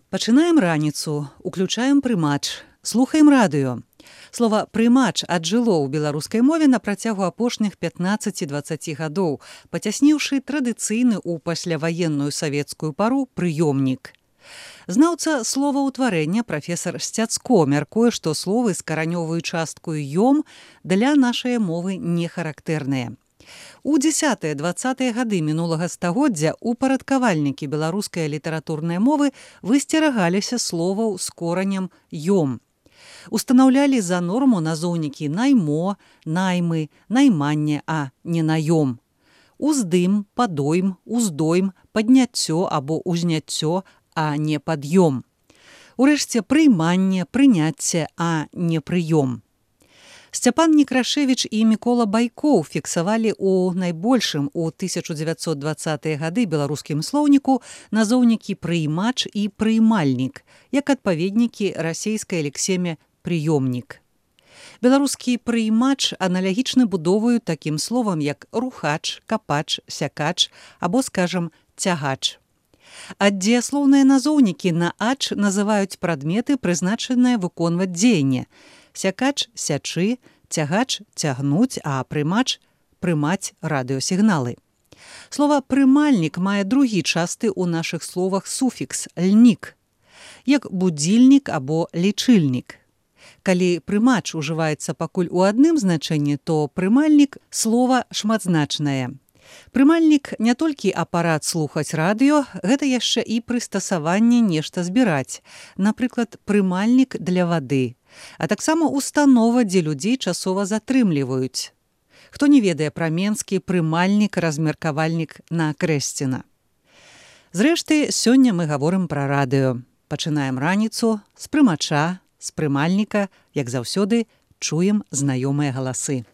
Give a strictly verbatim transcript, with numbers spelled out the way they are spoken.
Пачынаем раніцу, уключаем прымач, слухаем радыё. Слова «прымач» аджыло ў беларускай мове на працягу апошніх пятнаццаці-дваццаці гадоў, пацясніўшы традыцыйны ў пасляваенную савецкую пару прыёмнік. Знаўца словаўтварэння прафесар Сцяцко мяркуе, што словы з каранёвую часткаю «ём» для нашай мовы не характэрныя. У дзесятыя-дваццатыя гады мінулага стагоддзя упарадкавальнікі беларускай літаратурнай мовы высцерагаліся словаў з коранем «ём». Устанаўлялі за норму назоўнікі наймо, наймы, найманне, а не наём. Уздым, падойм, уздойм, падняццё або узняццё, а не пад'ём. Урэшце прыйманне, прыняцце, а не прыём. Сцяпан Некрашевіч і Мікола Байкоў фіксавалі ў найбольшым у тысяча дзевяцьсот дваццатыя гады беларускім слоўніку назоўнікі прыймач і прыймальнік, як адпаведнікі расейскай лексеме прыёмнік. Беларускі прыймач аналагічны будоваю такім словам, як рухач, капач, сякач або, скажам, цягач. А дзеяслоўныя назоўнікі на ач называюць прадметы, прызначаныя выконваць дзеянне. Сякач – сячы, цягач – цягнуць, а прымач – прымаць радыёсігналы. Слова «прымальнік» мае другі часты ў нашых словах суфікс «льнік», як будзільнік або лічыльнік. Калі прымач ужываецца пакуль у адным значэнні, то прымальнік – слова шматзначнае. Прымальнік не толькі апарат слухаць радыё, гэта яшчэ і прыстасаванне нешта збіраць, напрыклад, прымальнік для вады, а таксама установа, дзе людзей часова затрымліваюць. Хто не ведае пра менскі прымальнік-размеркавальнік на Крэсціна. Зрэшты, сёння мы гаворым пра радыё. Пачынаем раніцу з прымача, з прымальніка, як заўсёды, чуем знаёмыя галасы.